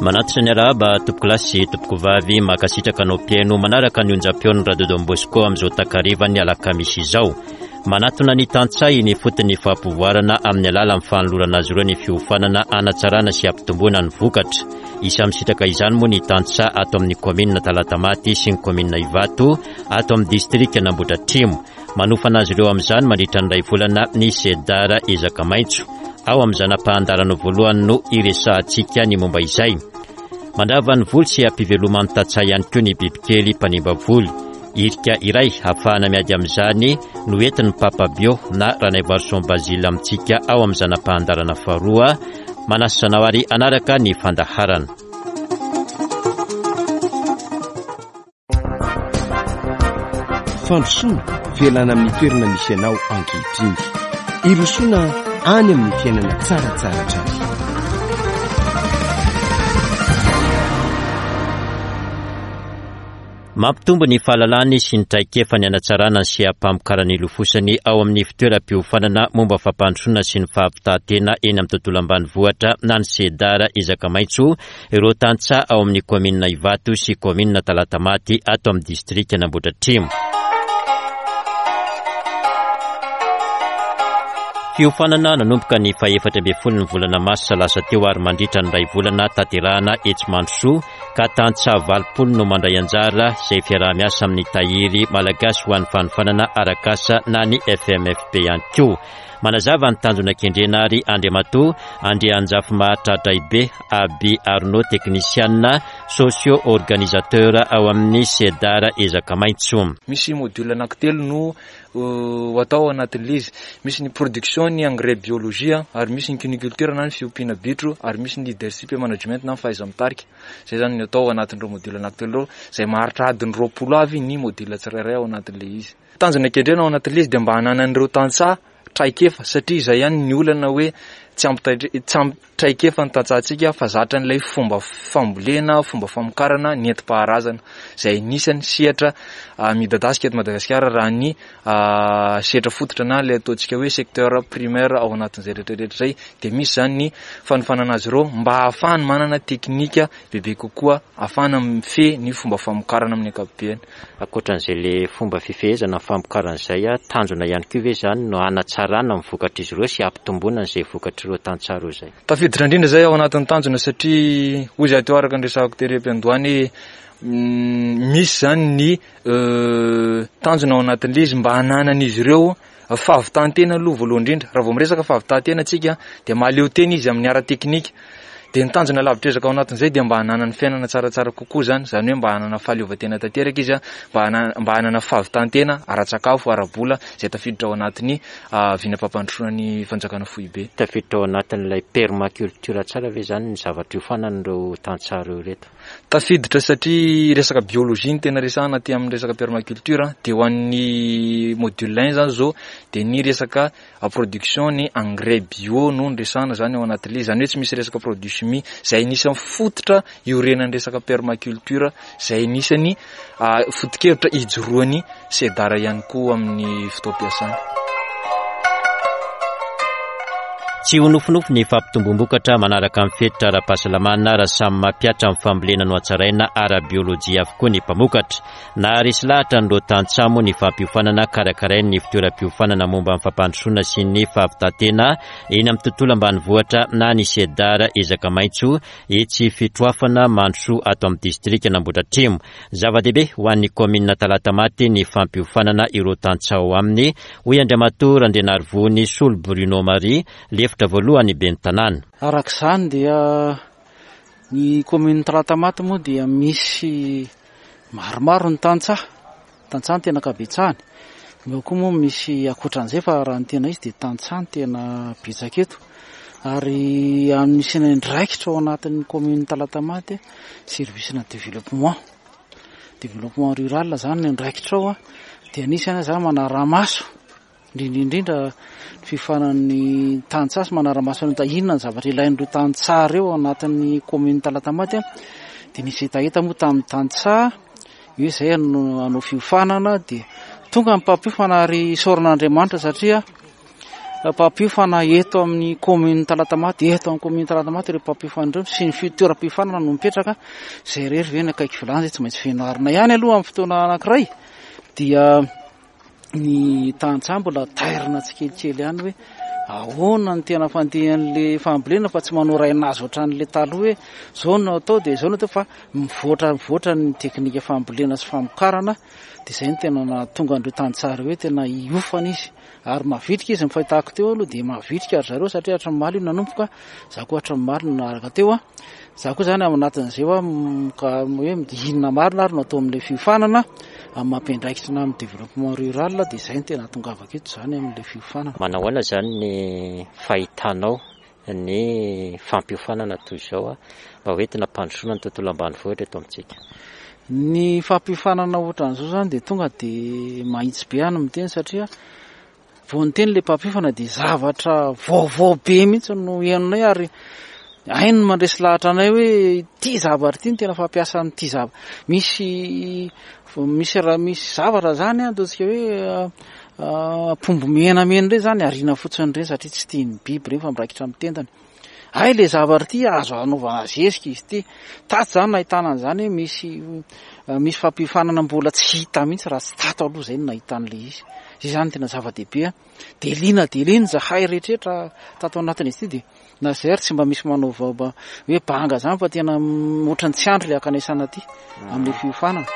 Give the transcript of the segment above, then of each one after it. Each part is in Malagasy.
Manatitra ny arahaba tompokolahy sy tompokovavy mankasitraka anao mpihaino manaraka ny onjam-peon'ny Radio Don Bosco amin'izao takarivan'ny alakamisy izao. Manatona ny tantsaha eny ifotony ny fampivoarana amin'ny alalan'ny fanolorana azy ireo ny fiofanana hanatsarana sy hampitomboana ny vokatra. Isan'ny misitraka izany moa ny tantsaha ato amin'ny kaominina Talatamaty sy ny kaominina Ivato ato amin'ny distrikan'Ambohidratrimo. Manofana azy ireo amin'izany mandritra ny iray volana ny Cedar Ezaka Maitso. Ao amin'ny zana-pahandarana voalohany no iresahantsika ny momba izay. Mandrava ny voly sy ampiveloman'ny tantsaha ihany koa ny bibikely mpanimba voly. Irika iray hahafahana miady amin'izany no entin'ny Papa Bio na Ranaivoarison Basile amintsika ao amin'ny zana-pahandarana faharoa. Manasa anao ary hanaraka ny fandaharana. Fandrosoana, fialana amin'ny toerana misy anao ankehitriny. Hirosoana any amin'ny fiainana tsaratsara hatrany. Mampitombo ny fahalalany sy ny traikefany hanatsarana ny seha-pamokarana ilofosany ao amin'ny fitoeram-piofanana momba fampandrosoana sy ny fahavitàn-tena eny amin'ny tontolo ambanivohitra na ny Cedar Ezaka Maitso Ireo tantsaha ao amin'ny kaominina Ivato sy kaominina Talatamaty ato amin'ny distrikan'Ambohidratrimo. Fiofanana nanomboka ny fahefatra ambin'ny folon'ny volana marsa lasa teo ary mandritra ny iray volana tanterahana etsy Mandrosoa ka tantsaha 80 no mandray anjara izay fiaraha-miasa amin'ny Tahiry Malagasy ho an'ny fanofanana arak'asa na ny FMFP ihany koa. Manazava ny tanjona kendrena ary Andriamatoa Andrianjafimahatradraibe Aby Arnaud, teknisianina socio organisateur ao amin'ny Cedar Ezaka Maitso. Misy module anankitelo no ho atao ao anatin'ilay izy. Misy ny production ny engrais biologie ary misy ny cuniculture na ny fiompiana bitro ary misy ny leadership et management na ny fahaiza-mitarika. Izay izany no atao ao anatin'ireo module anankitelo ireo izay maharitra adiny 20 avy ny module tsirairay ao anatin'ilay izy. Tanjona kendrena ao anatin'ilay izy dia mba hananan'ireo tantsaha traikefa satria izay ihany ny olana hoe tsy ampy tsy ampy traikefa ny tantsahantsika fa zatra an'ilay fomba fambolena, fomba famokarana nentim-paharazana izay anisan'ny sehatra midadasika eto Madagasikara raha ny sehatra fototra na ilay ataontsika hoe secteur primaire ao anatin'izay rehetra rehetra izay dia misy izany ny fanofanana azy ireo mba hahafahany manana teknika bebe kokoa ahafahana mifehy ny fomba famokarana amin'ny ankapobeny. Ankoatran'izay le fomba fifehezana ny famokarana izay, tanjona ihany koa ve izany no hanatsarana ny vokatr'izy ireo sy hampitomboana an'izay vokatr'ireo tantsaha ireo izay? Tafiditra indrindra izay ao anatin'ny tanjona satria hoy izahay teo araka ny resahako tery am-piandohana hoe misy izany ny tanjona ao anatin'ilay izy mba hananan'izy ireo fahavitan-tena aloha voalohany indrindra. Raha vao miresaka fahavitan-tena tsika dia mahaleo tena izy amin'ny ara-teknika. Dia ny tanjona lavitr'ezaka ao anatin'izay dia mba hananany fiainana tsaratsara kokoa izany, izany hoe mba hanana fahaleovantena tanteraka izy, mba hanana mba hanana fahavitan-tena ara-tsakafo, ara-bola izay tafiditra ao anatin'ny vinam-pampandrosoana ny fanjakana foibe. Tafiditra ao anatin'ilay permaculture tsara ve izany ny zavatra iofanan'ireo tantsaha ireo ireto? Tafiditra satria resaka biologie no tena resahana aty amin'ny resaka permaculture, dia ho an'ny module un izany izao dia ny resaka production ny engrais bio no niresahana zany ao anatin'ilay izy, zany hoe tsy misy resaka produit chimie, zay anisan'ny fototra iorenan'ny resaka permaculture, zay anisan'ny foto-kevitra ijoroan'ny Cedar ihany koa amin'ny fotoam-piasany. Tsy ho nofinofy ny fampitombom-bokatra manaraka ny fenitra ara-pahasalamana raha samy mampihatra ny fambolena nohatsaraina ara-biolojia avokoa ny mpamokatra. Naharesy lahatra an'ireo tantsaha moa ny fampiofanana karakarain'ny fitoeram-piofanana momba ny fampandrosoana sy ny fahavitan-tena eny amin'ny tontolo ambanivohitra na ny Cedar Ezaka Maitso etsy Fitroafana Mandrosoa ato amin'ny distrikan'Ambohidratrimo. Zava-dehibe ho an'ny kaominina Talatamaty ny fampiofanana ireo tantsaha ao aminy, hoy Andriamatoa Randrianarivony Solo Bruno Marie, lefitra voalohany ben'ny tanàna. Araka izany dia ny kaominina Talatamaty moa dia misy Maromaro ny tantsaha, tantsaha no tena ankabetsahany. Eo koa moa misy ankoatran'izay fa raha ny tena izy dia tantsaha no tena betsaka eto. Ary anisan'ny andraikitra ao anatin'ny commune Talatamaty service na développement. Développement rural izany ny andraikitra ao dia anisany aho izany manara-maso Indrindra indrindra ny fiofanan'ny tantsaha sy manara-maso ny inona ny zavatra ilain'ireo tantsaha ireo ao anatin'ny commune Talatamaty dia nisy hetaheta moa tamin'ny tantsaha hoe izay hanao fiofanana dia tonga ny mpampiofana ary isaorana Andriamanitra satria mpampiofana eto amin'ny commune Talatamaty, eto amin'ny commune Talatamaty ireo mpampiofana ireo sy ny toeram-piofanana no mipetraka, izay irery ve ny akaiky vilany izay tsy maintsy fianarana ihany aloha amin'ny fotoana anankiray dia ny tantsaha mbola tairina tsikelikely ihany hoe ahoana ny tena fandehan'le fambolena fa tsy manao rainazy ohatran'le taloha hoe zao no atao dia zao no atao fa mivoatra mivoatra ny teknika fambolena sy famokarana dia izay no tena nahatonga an'ireo tantsaha ireo hoe tena hiofana izy ary mavitrika izy ny fahitako teo aloha dia mavitrika ry zareo satria hatramin'ny omaly io nanomboka za koa hatramin'ny omaly no naharaka teo a za koa zany ao anatin'izay hoa ka hoe inona marina ary no atao amin'ilay fiofanana amin'ny mampiandraikitra na amin'ny développement rural dia izay no tena ahatongavako eto izany amin'ilay fiofanana. Manao ahoana izany ny fahitanao ny fampiofanana toy izao mba ho entina hampandrosoana ny tontolo ambanivohitra eto amintsika? Ny fampiofanana ohatran'izao izany dia tonga dia mahitsy be aho ny miteny satria vao niteny ilay mpampiofana dia zavatra vaovao be mihitsy no henonay ary hainy ny mandresy lahatra anay hoe ity zavatra ity no tena fampiasa an'ity zavatra. Misy misy raha misy zavatra izany ataontsika hoe Apombo menamena ireny zany ariana fotsiny ireny satria tsy tian'ny biby ireny fa miraikitra amin'ny tendany. Hay le zavatra ity azo anaovana zezika izy ity. Tato zany nahitana an'izany hoe misy misy fampiofanana mbola tsy hita mihitsy raha tsy tato aloha izay no nahita an'ilay izy. Izay zany tena zava-dehibe. Dia liana dia liana izahay rehetrarehetra tato anatin'izy ity dia Na izay ary tsy mba misy manao vao hoe banga zany fa tena ohatran'ny tsy andry le hankanesana aty amin'ilay fiofanana.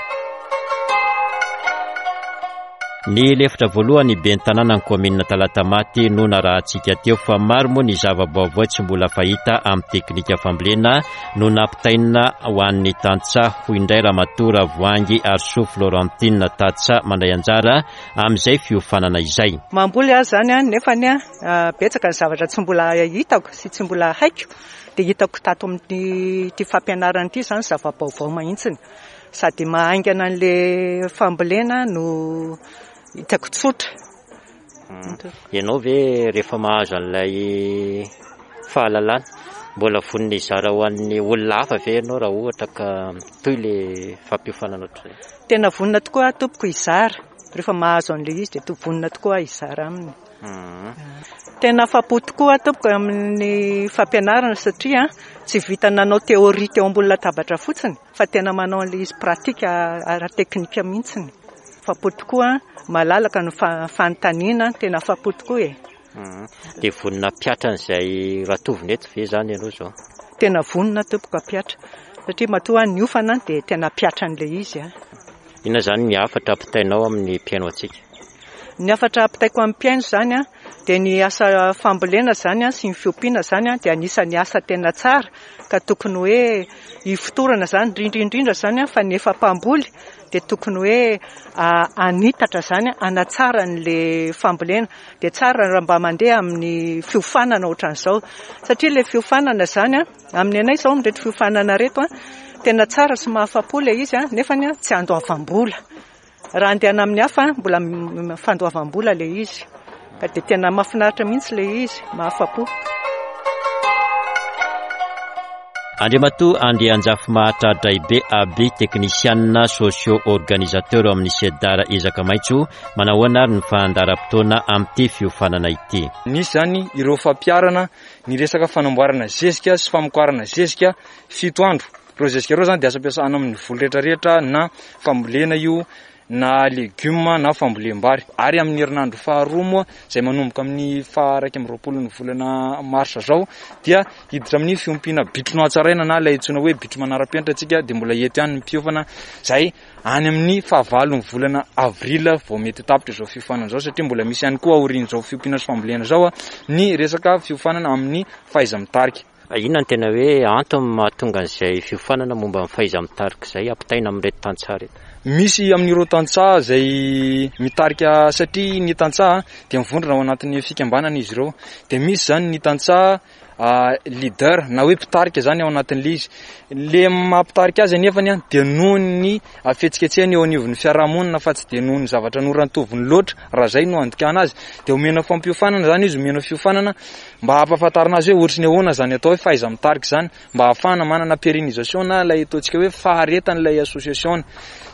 Ny lefitra voalohany ben'ny tanànan'ny kaominina Talatamaty no narahantsika teo fa maro moa ny zava-baovao tsy mbola fahita amin'ny teknika fambolena no nampitaina ho an'ny tantsaha, hoy indray Ramatoa Ravoahangy Arisoa Florentine, tantsaha mandray anjara amin'izay fiofanana izay. Mamboly aho izany nefany Betsaka ny zavatra tsy mbola hitako sy tsy mbola haiko dia hitako tato amin'ity fampianarana ity izany zava-baovao mihitsiny. Sady mahaingana an'ilay fambolena no hitako tsotra. Ianao ve rehefa mahazo an'ilay fahalalana, mbola vonona hizara ho an'ny olona hafa ve ianao raha ohatra ka mitohy ilay fampiofanana ohatr'izay? Tena vonona tokoa aho tompoko hizara. Rehefa mahazo an'ilay izy dia vonona tokoa aho hizara aminy. Tena afa-po tokoa aho tompoko amin'ny fampianarana satria tsy vita nanao théorie teo ambony latabatra fotsiny fa tena manao an'ilay izy pratique ara-teknika mihitsiny. Afa-po tokoa, malalaka ny fanontaniana, tena afa-po tokoa e. Dia vonona hampiatra an'izay ratovina eto ve izany ianao izao? Tena vonona tompoko hampiatra satria matoa aho niofana dia tena hampiatra an'ilay izy aho. Inona izany ny hafatra ampitainao amin'ny mpihaino antsika? Ny hafatra ampitaiko amin'ny mpihaino izany dia ny asa fambolena izany sy ny fiompiana izany dia anisan'ny asa tena tsara ka tokony hoe hifotorana izany, indrindra indrindra izany fa ny efa mpamboly dia tokony hoe hanitatra izany, hanatsara an'ilay fambolena. Dia tsara raha mba mandeha amin'ny fiofanana ohatran'izao satria ilay fiofanana izany Amin'ny anay izao amin'ireto fiofanana ireto, tena tsara sy mahafa-po ilay izy nefany tsy andoavam-bola. Raha andehana amin'ny hafa mbola fandoavam-bola ilay izy. Ka dia tena mahafinaritra mihitsy ilay izy, mahafa-po. Andriamatoa Andrianjafimahantra Draibe Aby, teknisianina socio-organisateur ao amin'ny Cedar Ezaka Maitso, manahoana ary ny fandaharam-potoana amin'ity fiofanana ity? Nisy izany ireo fampiharana ny resaka fanamboarana zezika sy famokarana zezika fito andro. Ireo zezika ireo izany dia azo ampiasana amin'ny voly rehetra rehetra na fambolena io na legioma na fambolem-bary. Ary amin'ny herinandro faharoa moa izay manomboka amin'ny faha 21 ny volana marsa izao dia hiditra amin'ny fiompiana bitro nohatsaraina na ilay antsoina hoe bitro manara-penitra isika dia mbola eto ihany ny mpiofana izay Any amin'ny fahavalon'ny volana avril vao mety ho tapitra izao fiofanana izao satria mbola misy ihany koa aorian'izao fiompiana sy fambolena izao ny resaka fiofanana amin'ny fahaiza-mitarika. Inona no tena hoe antony mahatonga an'izay fiofanana momba ny fahaiza-mitarika izay ampitaina amin'ireto tantsaha ireto? Misy amin'ireo tantsaha izay mitarika satria ny tantsaha dia mivondrona ao anatin'ny fikambanana izy ireo. Dia misy izany ny tantsaha leader na hoe mpitarika zany ao anatin'le izy. Le maha mpitarika azy anefany an dia noho ny fihetsiketsehany eo anivon'ny fiarahamonina fa tsy dia noho ny zavatra norantoviny loatra raha zay no andikana azy. Dia omena fampiofanana zany izy, omena fiofanana mba hampahafantarina azy hoe ohatry ny ahoana zany atao hoe fahaiza-mitarika zany mba hahafahana manana pérennisation na ilay ataontsika hoe faharetan'ilay association.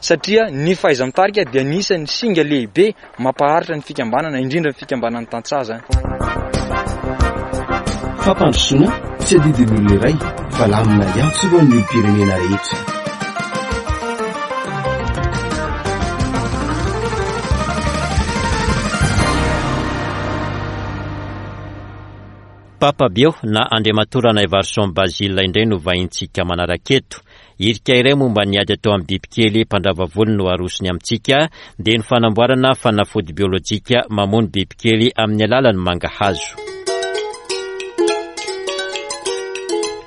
Satria. Satria ny fahaiza-mitarika dia anisan'ny singa lehibe mampaharitra ny fikambanana, indrindra ny fikambanan'ny tantsaha izany. Fampandrosoana tsy adidin'ny olona iray fa lamina iantsorohan'ny olom-pirenena rehetra. Papa Bio na Andriamatoa Ranaivarison Basile indray no vahintsika manaraka eto. Hirika iray momba ny ady atao amin'ny bibikely mpandrava volo no arosony amintsika, dia ny fanamboarana fanafody biolojika mamono bibikely amin'ny alalan'ny mangahazo.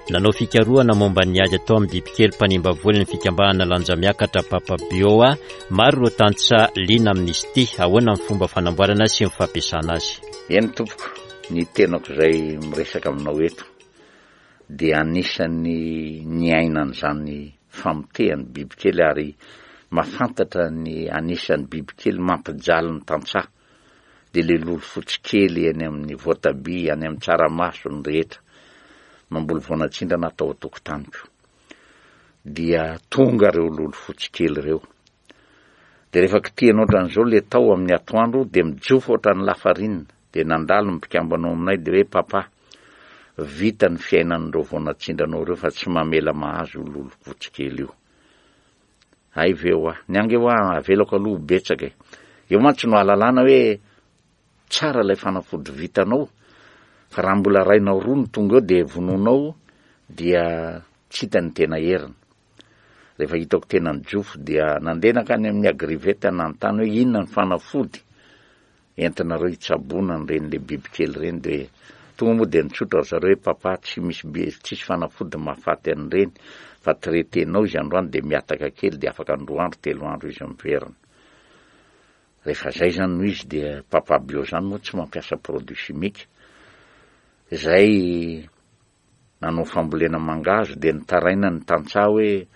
Nanao fikarohana momba ny ady atao amin'ny bibikely mpanimba volo ny fikambanana Lanjamiakatra Papa Bio. Maro ireo tantsaha liana amin'izy ity. Ahoana ny fomba fanamboarana sy ny fampiasana azy? Eny tompoko, ny tenako izay miresaka aminao eto dia anisan'ny niaina an'izany famotehan'ny bibikely ary mahafantatra ny anisan'ny bibikely mampijaly ny tantsaha dia le lolo fotsy kely eny amin'ny voatabia, any amin'ny tsaramaso ny rehetra mamboly voanatsindrana atao an-tokotaniko dia tonga ireo lolo fotsy kely ireo dia rehefa kitihana ohatran'izao le tao amin'ny atoandro dia mijofo ohatran'ny lafarinina dia nandalo ny mpikambana ao aminay dia hoe papa vita ny fiainan'ireo vao natsindranao ireo fa tsy mamela mahazo io lolompotsy kely io hay ve hoa ny ange hoa avelako aloha ho betsaka e eo mantsy no ahalalana hoe tsara ilay fanafody vitanao fa raha mbola rainao roa no tonga eo dia vonoinao dia tsy hita ny tena heriny Rehefa hitako tena nijofo dia nandeha nankany amin'ny Agrivet nanontany hoe inona ny fanafody entinareo hitsaboana an'ireny le bibikely ireny dia tonga moa dia nitsotra ry zareo hoe papa tsy misy bi- tsisy fanafody mahafaty an'ireny fa traiter-nao izy androany dia mihataka kely dia afaka ny roa andro telo andro izy miverina. Rehefa zay zany no izy dia papa bio zany moa tsy mampiasa produit chimique izay nanao fambolena mangahazo dia nitaraina ny tantsaha hoe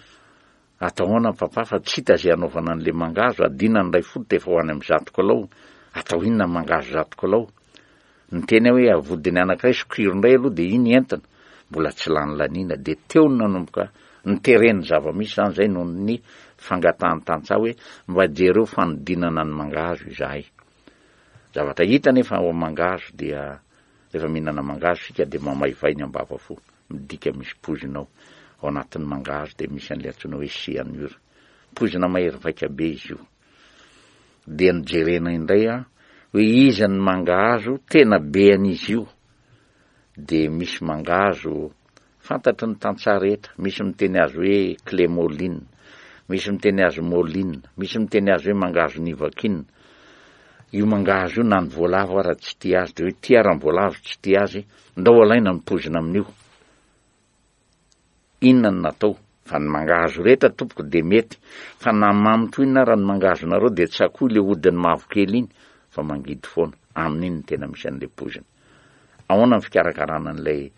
atao ahoana papa fa tsy hita izay hanaovana an'le mangahazo, adina ny iray fototra efa ho any amin'ny zato kilao, atao inona ny mangahazo zato kilao? Niteny aho hoe avodiny anankiray sokiro indray aloha dia iny entina, mbola tsy lany laniana, dia teo no nanomboka nitereny ny zava-misy izany izay noho ny fangatahan'ny tantsaha hoe mba jereo fanodinana ny mangahazo izahay. Zavatra hita anefa ao amin'ny mangahazo dia Rehefa mihinana mangahazo isika dia mamaivay ny ambavafo, midika misy poizina ao. Ao anatin'ny mangahazo dia misy an'ilay antsoina hoe cyanure. Poizina mahery vaika be izy io. Dia nojerena indray an, hoe iza ny mangahazo tena be an'izy io. Dia misy mangahazo Fantatry ny tantsaha rehetra, misy miteny azy hoe clémoline, misy miteny azy moline, misy miteny azy hoe mangahazo nivakin. Io mangahazo io na ny voalavo ara tsy tia azy, dia hoe tia ara ny voalavo tsy tia azy, ndao alaina ny poizina amin'io. Inona no natao? Fa ny mangahazo rehetra tompoko dia mety, fa na mamy toy inona ara ny mangahazonareo dia tsakoy le hodiny mavokely iny fa mangidy foana, amin'iny no tena misy an'le poizina. Ahoana ny fikarakarana an'ilay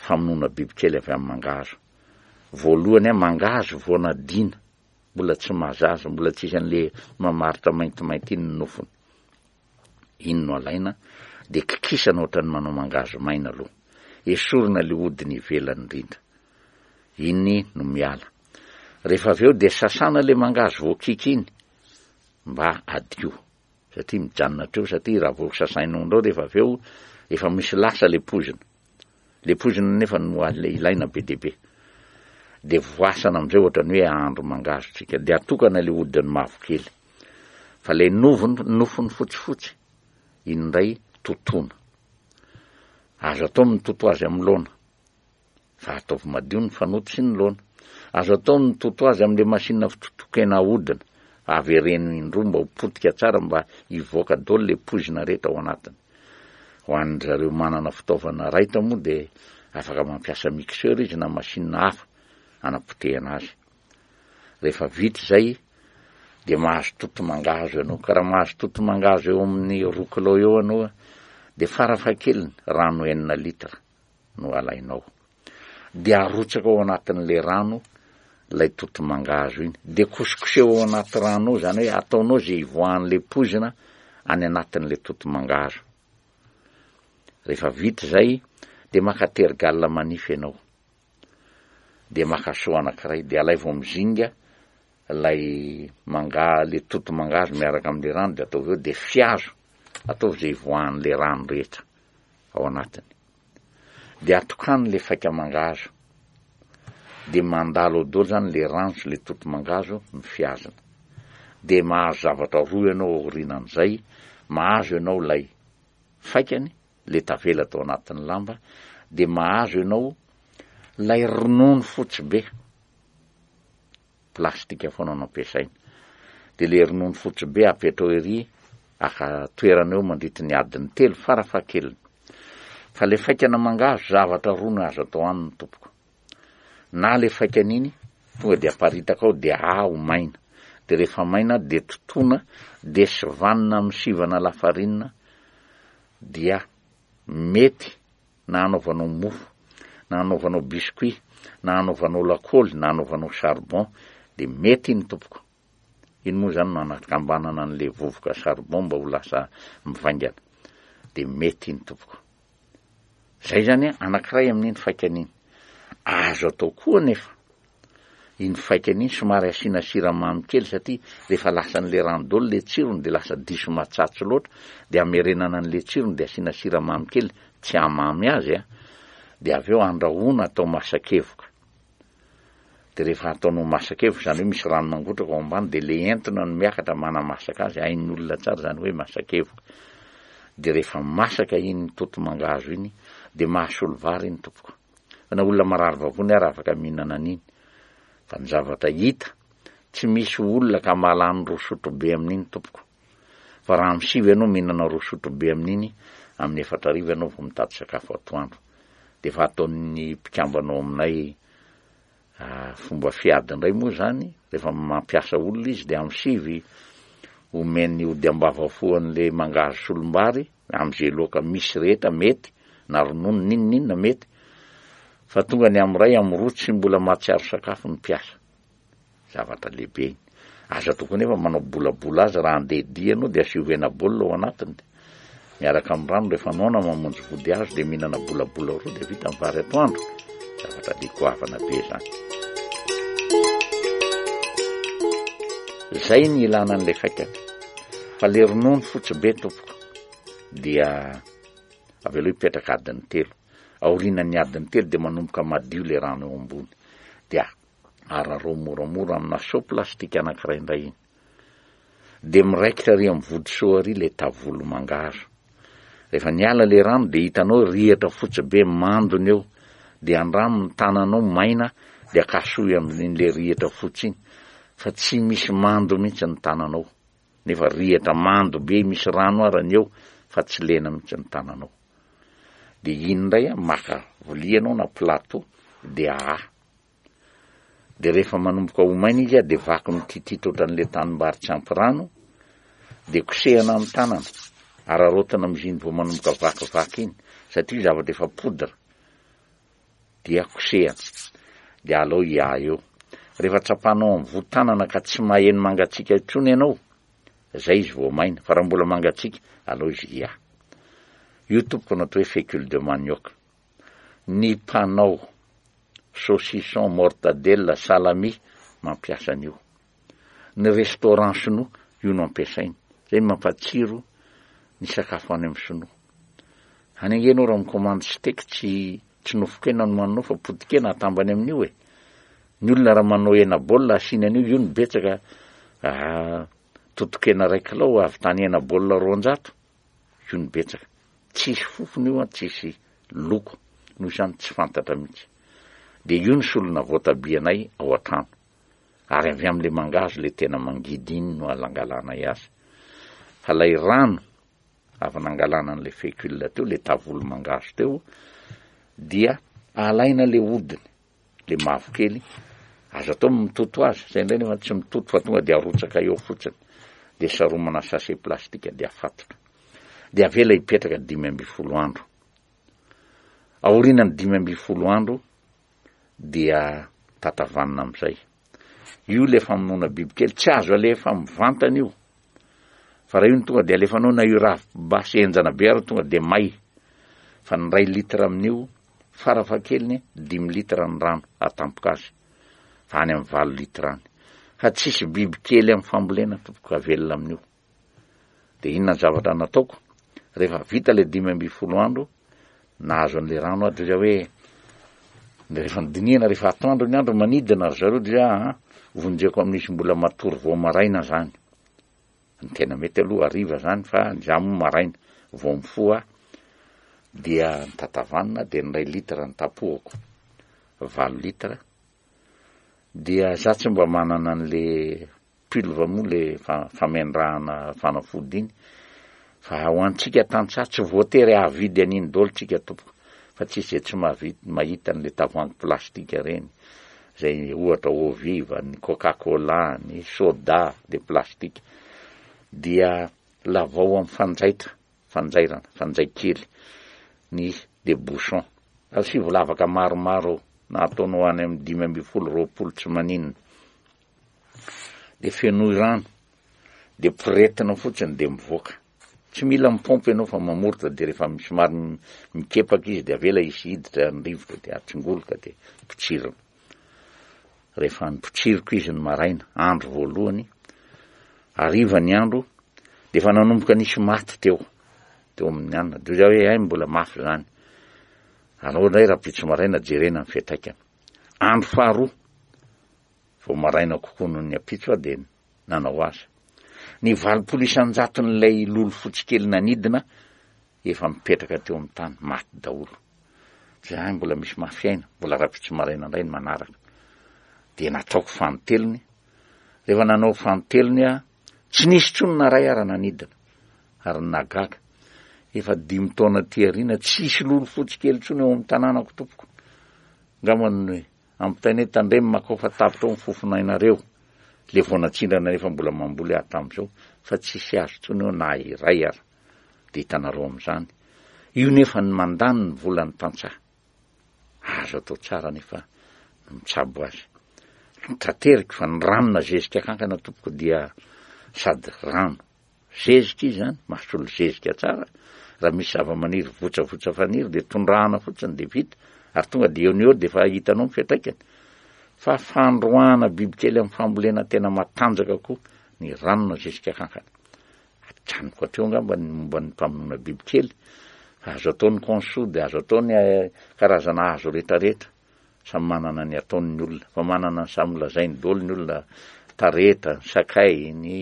famonoana bibikely avy amin'ny mangahazo? Voalohany, mangahazo vao nadiana, mbola tsy mahazaza, mbola tsisy an'ilay mamaritra maintimainty iny ny nofony. Iny no alaina, dia kikisana ohatran'ny manao mangahazo maina aloha. Esorina ilay hodiny ivelany indrindra. Iny no miala. Rehefa avy eo dia sasana ilay mangahazo voakiky iny mba hadio. Satria mijanona hatreo satria raha vao sasainao indreo rehefa avy eo efa misy lasa le poizina. Le poizina nefa no ilaina be dia be. Dia voasana amin'izay ohatran'ny hoe ahandro mangahazo tsika. Dia atokana le hodiny mavokely. Fa le novony, nofony fotsifotsy, iny indray totoina. Azo atao mitoto azy amin'ny laona. Fa ataovy madio ny fanoto sy ny laona. Azo atao ny mitoto azy amin'ilay machine fitotoan-kena ahodina. Avereno indroa mba ho potika tsara mba hivoaka daholo ilay poizina rehetra ao anatiny. Ho an-dry zareo manana fitaovana raitra moa dia afaka mampiasa mixeur izy na machine hafa hanapotehana azy. Rehefa vita izay dia mahazo toto mangahazo ianao. Ka raha mahazo toto mangahazo eo amin'ny roa kilao eo ianao dia farafahakeliny rano enina litre. no alainao. Dia arotsaka ao anatin'ilay rano ilay toto-mangahazo iny. Dia kosokoseho ao anaty rano ao, izany hoe ataonao izay hivoahan'ilay poizina any anatin'ilay toto-mangahazo. Rehefa vita izay, dia maka tergal manify ianao. Dia maka seau anankiray, dia alaivo amin'ny zinga. Ilay manga, le toto mangahazo miaraka amin'le rano de ataovy eo de fihazo, ataovy izay hivoahan'le rano rehetra ao anatiny. De atokano le faika mangahazo. De mandalo ao daholo zany le rano sy le toto mangahazo ny fihazana. De mahazo zavatra roa ianao aorianan'izay, mahazo ianao ilay faikany, le tavela tao anatin'ny lamba, de mahazo ianao ilay ronono fotsy be. Plastika foana no ampiasaina. Dia le ronono fotsy be apetrao ery aka toerana eo mandritry ny adiny telo farafahakeliny. Fa le faikana mangahazo zavatra roa no azo atao aminy tompoko. Na le faikana iny tonga dia aparitaka ao dia aho maina. Dia rehefa maina dia totoina dia sivanina amin'ny sivana lafarinina dia mety na hanaovanao mofo, na hanaovanao biscuit, na hanaovanao lakôly, na hanaovanao charbon, dia mety iny tompoko. Iny moa izany no anakambanana an'ilay vovoka charbon mba ho lasa mivaingana. Dia mety iny tompoko. Izay izany an, anankiray amin'iny faikany iny. Azo atao koa anefa iny faikany iny somary asiana siramamy kely satria rehefa lasan'le rano daholo le tsirony de lasa diso matsatso loatra de amerenana an'le tsirony de asiana siramamy kely tsy hamamy azy a, de avy eo andrahoina atao masakevoka de rehefa ataonao masakevoka izany hoe misy rano mangotraka ao ambany de le entona no miakatra manamasaka azy, hain'ny olona tsara izany hoe masakevoka, de rehefa masaka iny toto mangahazo iny de mahasolo vary iny tompoko. Fa na olona marary vavony ary afaka mihinana an'iny. Fa ny zavatra hita, tsy misy olona ka mahalany roa sotrobe amin'iny tompoko. Fa raha amin'ny sivy ianao mihinana roa sotrobe amin'iny, amin'ny 4000 ianao vao mitady sakafo atoandro. Dia efa ataon'ny mpikambana ao aminay fomba fiady indray moa izany, rehefa mampiasa olona izy dia amin'ny sivy omeny ody ambavafo an'ilay mangahazo solombary, amin'izay loaka misy rehetra mety, na ronono n'inon'inona mety, fa tonga ny amin'ny iray, amin'ny roa tsy mbola mahatsiaro sakafo ny mpiasa. Zavatra lehibe iny. Aza atao koa nefa manao bolabola azy raha handeha dia ianao dia asio hena baolina ao anatiny dia miaraka amin'ny rano rehefa noana mamonjy vody hazo dia mihinana bolabola roa dia vita ny vary atoandro. Zavatra le goavana be izany. Zay ny ilana an'ilay faikany. Fa le ronono fotsy be tompoko dia avelao hipetraka adiny telo. Aorianan'ny adiny telo dia manomboka madio le rano eo ambony. Dia ararao moramora amina seau plastique anankiray indray iny. Dia miraikitra ary amin'ny vody seau ary ilay tavolo mangahazo. Rehefa niala ilay rano dia hitanao rihatra fotsy be mandona eo. Dia andramo ny tananao maina dia akasohy amin'ilay rihatra fotsy iny fa tsy misy mando mihitsy ny tananao. Nefa rihatra mando be misy rano ara ny eo fa tsy lena mihitsy ny tananao. Dia iny indray maka vilia ianao na plateau dia ahaha. Dia rehefa manomboka ho maina izy dia vaky mititita ohatran'ilay tanimbary tsy ampy rano, dia kosehana amin'ny tanana, araraotina amin'izy iny vao manomboka vakivaky iny, satria zavatra efa poudre, dia kosehana, dia alao hiaha eo. Rehefa tsapanao amin'ny voa tanana ka tsy maheno mangatsiaka intsony ianao, zay izy vao maina, fa raha mbola mangatsiaka, alao izy hiaha. Io tompoko no atao hoe fécule de manioc. Ny mpanao saucisson, mortadelle, salami mampiasa an'io. Ny restaurant sinoa io no ampiasainy. Zay no mampatsiro ny sakafo any amin'ny sinoa. Any ange ianao raha mi-commande steak tsy tsy nofon-kena no haninao fa poti-kena atambany amin'io e. Ny olona raha manao hena baolina asiany an'io, io no betsaka totokena iray kilao ahavitany hena baolina 200. Io no betsaka. Tsisy fofona io an, tsisy loko, noho izany tsy fantatra mihitsy. Dia io ny solona voatabia anay ao an-trano. Ary avy amin'ilay mangahazo ilay tena mangidy iny no alangalanay azy. Fa ilay rano avy nangalana an'ilay fécule teo, ilay tavolo mangahazo teo, dia alaina ilay hodiny. le mavokely, azo atao ny mitoto azy, zay indray nefa tsy mitoto fa tonga de arotsaka eo fotsiny, de saromana sachet plastique de afatotra, de avela hipetraka 15 andro, aorianan'ny 15 andro dia tatavanina amizay, io le famonoana bibikely tsy azo alefa mivantana io, fa raha io no tonga de alefanao na io ravim-basy henjana be ary tonga de may, fa ny iray litre amin'io Farafahakeliny dimy litre ny rano atampoka azy fa any amin'ny valo litre any. Fa tsisy biby kely amin'ny fambolena tompoko havelona amin'io. Dia inona ny zavatra nataoko? Rehefa vita ilay 15 andro, nahazo an'ilay rano aho, dia hoe rehefa nodinihana rehefa atoandro ny andro manidina ry zareo dia ah, vonjeko amin'izy mbola matory vao maraina zany. Ny tena mety aloha hariva zany fa za moa maraina vao mifoha dia nitatavanina dia ny iray litre nitapohako, valo litre dia za tsy mba manana an'le pulve moa le famendrahana fanafody iny fa ho antsika tantsaha tsy voatery hahavidy an'iny daholo tsika tompoko fa tsisy zay tsy mahavita mahita an'le tavoahangy plastika reny zay ohatra eau vive, ny coca cola, ny soda de plastika dia lavao amin'ny fanjaitra fanjairana fanjay kely ny de bouchon asivo lavaka maromaro ao na ataonao any amin'ny 15 20 tsy maninona de fenoy rano de poretina fotsiny de mivoaka tsy mila mipompy ianao fa mamoritra de rehefa somary mikepaka izy de avela hisy hiditra ny rivotra de atsingoloka de potsirina rehefa nipotsiriko izy ny maraina andro voalohany hariva ny andro de efa nanomboka nisy maty teo teo amin'ny anina de za hoe hay mbola mafy zany alao indray rahampitso maraina jerena ny fiantraikany andro faharoa vao maraina kokoa noho ny ampitso aho dia nanao azy. Ny 80 isan-jaton'ilay lolo fotsy kely nanidina efa mipetraka teo amin'ny tany, maty daholo. Dia hay mbola misy mafy aina, mbola rahampitso maraina indray ny manaraka. Dia nataoko fanintelony, rehefa nanao fanintelony aho, tsy nisy intsony na iray ara nanidina. Ary ny nahagaga, efa dimy taona aty aoriana, tsisy lolo fotsy kely intsony eo amin'ny tanànako tompoko. Angamba ny Ampitainay tandremo makao fa tapitra ao ny fofonainareo le vao natsindrana nefa mbola mamboly aho tamzao fa tsisy azo tsony eo na iray ara de hitanareo amzany io nefa ny mandany ny volan'ny tantsaha azo atao tsara nefa ny mitsabo azy tateriko fa ny rano na zezika kankana tompoko dia sady rano Zezika izy zany, mahasolo zezika tsara, raha misy zava-maniry votsavotsa faniry dia tondrahana fotsiny dia vita, ary tonga dia eo no eo dia efa hitanao ny fiantraikany. Fa fandroahana bibikely amin'ny fambolena tena matanjaka koa ny ranona zezika kankana. Ajanoko hatreo angamba ny momba ny mpamonoana bibikely, fa azo atao ny conso dia azo atao ny eh, karazana hazo rehetrarehetra. Samy manana ny ataony ny olona, fa manana ny samy lazainy daholo ny olona, tareta, ny sakay, ny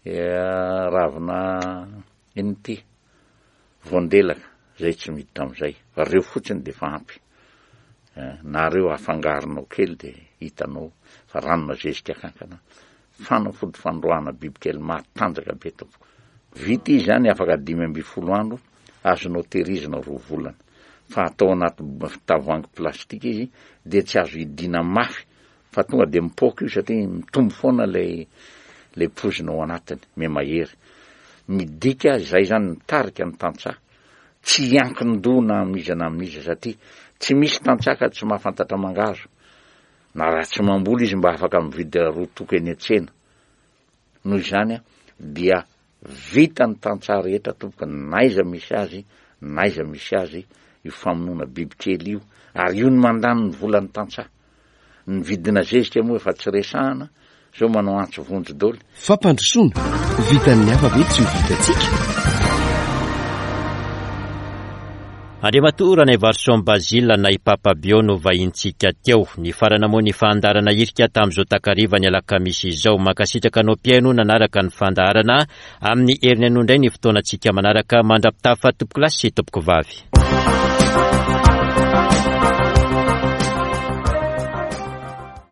ravina inona ity, voandelaka, zay tsy miditra amizay, fa reo fotsiny de efa ampy, na reo afangaronao kely de hitanao fa ranona zezika kankana, fanafody fandroahana bibikely matanjaka be tompoko. Vita izy zany afaka 15 andro, azonao tehirizina roa volana fa atao anaty tavoahangy plastika izy dia tsy azo hidiana mafy fa tonga dia mipoaka io satria mitombo foana ilay ilay poizina ao anatiny, mihamahery. Midika izay zany mitarika ny tantsaha tsy hiankin-doha na amin'iza na amin'iza satria tsy misy tantsaha ka tsy mahafantatra mangahazo na raha tsy mamboly izy mba afaka mividy roa toko eny an-tsena. Noho izany dia Vita ny tantsaha rehetra tompoko n'aiza misy azy n'aiza misy azy io famonoana biby kely io ary io ny mandany ny volan'ny tantsaha. Ny vidina zezika moa efa tsy resahana, zao manao antso vonjy doly. Fampandrosoana, vitan'ny hafa ve tsy ho vitantsika? Andriamatoa Ranaivarison Basile na i Papa Bio no vahintsika teo. Nifarana moa ny fandaharana hirika tamin'izao takariva ny alakamisy izao. Mankasitraka anao mpihaino nanaraka ny fandaharana. Amin'ny heriny anio indray ny fotoanantsika manaraka. Mandra-pitafa tompokolahy sy tompokovavy.